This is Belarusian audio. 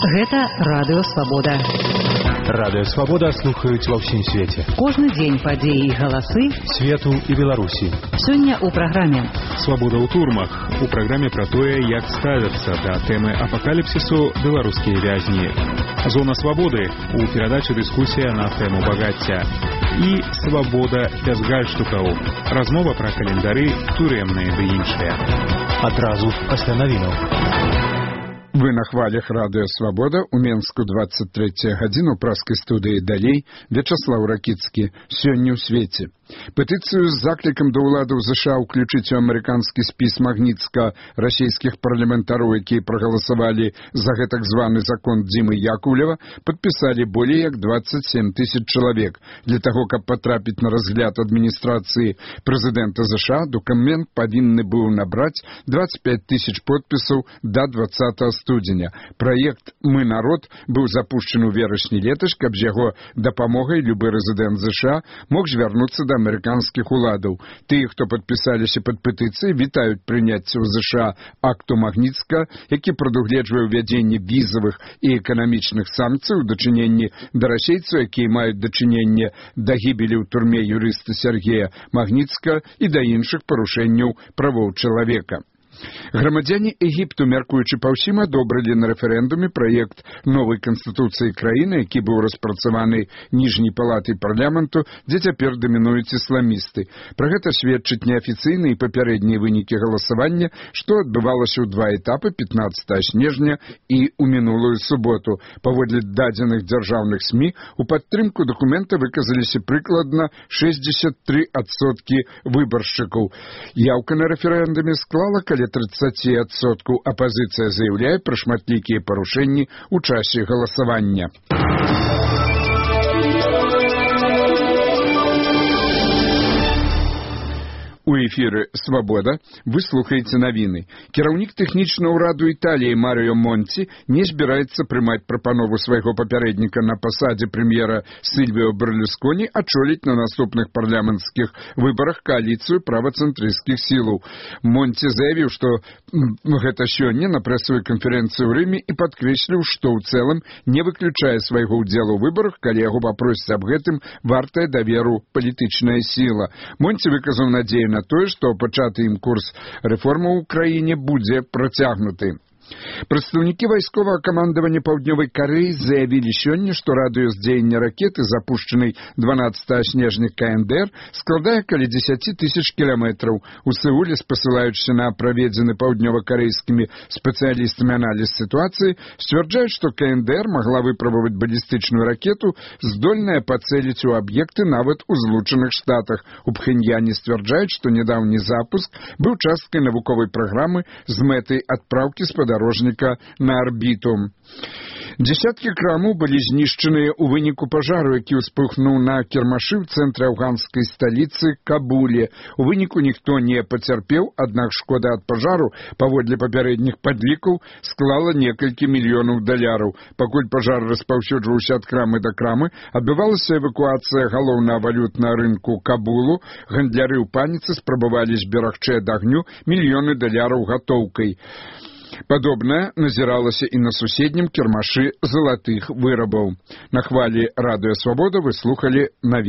Гэта Радыё Свабода. Радыё Свабода слухаюць ва ўсім свеце. Кожны дзень падзеі і галасы свету і Беларусі. Сёння ў праграме «Свабода ў турмах». У праграме пра тое, як ставяцца да тэмы апакаліпсісу беларускія вязні. «Зона свабоды» у перадачы дыскусія на тэму багацця. І «Свабода без гальштукаў». Размова пра календары, турэмныя ды іншыя. Адразу пасля навінаў. Вы на хвалях Радыё Свабода, у Менску 23 гадзіну, праскай студыі «Далей», Вячаслаў Ракіцкі. Сёння ў свеце. Петыцыю з заклікам да ўладаў ЗША ўключыць у амерыканскі спіс Магніцка расійскіх парламентароў, якія прагаласавалі за гэтак званы закон Дзімы Якулева, падпісалі болей як 27 000 чалавек. Для таго, каб патрапіць на разгляд адміністрацыі прэзідэнта ЗША, дакумент павінны быў набраць 25 000 подпісаў да 20 студзеня. Праект «Мы народ» быў запушчаны ў верасні летась, каб з яго дапамогай любы рэзідэнт ЗША мог звярнуцца да амерыканскіх уладаў. Тыя, хто падпісаліся пад петыцыяй, вітаюць прыняцце ў ЗША акту Магніцка, які прадугледжвае ўвядзенне візавых і эканамічных санкцый у дачыненні да расейцаў, якія маюць дачыненне да гібелі ў турме юрыста Сергея Магніцка і да іншых парушэнняў правоў чалавека. Грамадзяне Егіпту, мяркуючы па ўсім, адобрылі на рэферэндуме праект новай канстытуцыі краіны, які быў распрацаваны ніжняй палатай парламенту, дзе цяпер дамінуюць ісламісты. Пра гэта сведчаць неафіцыйныя і папярэднія вынікі галасавання, што адбывалася ў два этапы 15 снежня і ў мінулую суботу. Паводле дадзеных дзяржаўных СМІ, у падтрымку дакумента выказаліся прыкладна 63% выбаршчыкаў. Яўка на рэферэндуме склала каля 30%. Апазіцыя заяўляе пра шматлікія парушэнні ў часе галасавання. У эфіры «Свабода» вы слухаеце навіны. Кіраўнік тэхнічнага ўраду Італіі Марыё Монці не збіраецца прымаць прапанову свайго папярэдніка на пасадзе прэм'ера Сільвіо Берлусконі ачоліць на наступных парламенцкіх выбарах кааліцыю правацэнтрысцкіх сілаў. Монці заявіў, што гэта сёння на прэсавай канферэнцыі ў Рыме і падкрэсліў, што ў цэлым не выключае свайго ўдзелу ў выбарах, калі яго папросяць аб гэтым вартая даверу палітычная сіла. Монці выказаў надзею на тое, што пачаты ім курс рэформаў у краіне будзе працягнуты. Прадстаўнікі вайсковага камандавання Паўднёвай Карэі заявілі сёння, што радыус дзеяння ракеты, запушчанай 12 снежня КНДР, складае каля 10 000 кіламетраў. У Сеуле, спасылаючыся на праведзены паўднёва-карэйскімі спецыялістамі аналіз сітуацыі, сцвярджаюць, што КНДР магла выпрабаваць балістычную ракету, здольная пацэліць у аб'екты нават у Злучаных Штатах. У Пхеньяне сцвярджаюць, што нядаўні запуск быў часткай навуковай праграмы з мэтай адпраўкі спадарожніка на арбіту. Дзесяткі крамаў былі знішчаныя ў выніку пажару, які ўспыхнуў на кірмашы ў цэнтры афганскай сталіцы Кабуле. У выніку ніхто не пацярпеў, аднак шкода ад пажару, паводле папярэдніх падлікаў, склала некалькі мільёнаў даляраў. Пакуль пажар распаўсюджваўся ад крамы да крамы, адбывалася эвакуацыя галоўнага валютнага рынку Кабулу. Гандляры ў паніцы спрабавалі зберагчы ад агню мільёны даляраў гатоўкай. Падобнае назіралася і на суседнім кірмашы залатых вырабаў. На хвалі Радыё Свабода вы слухалі навіны.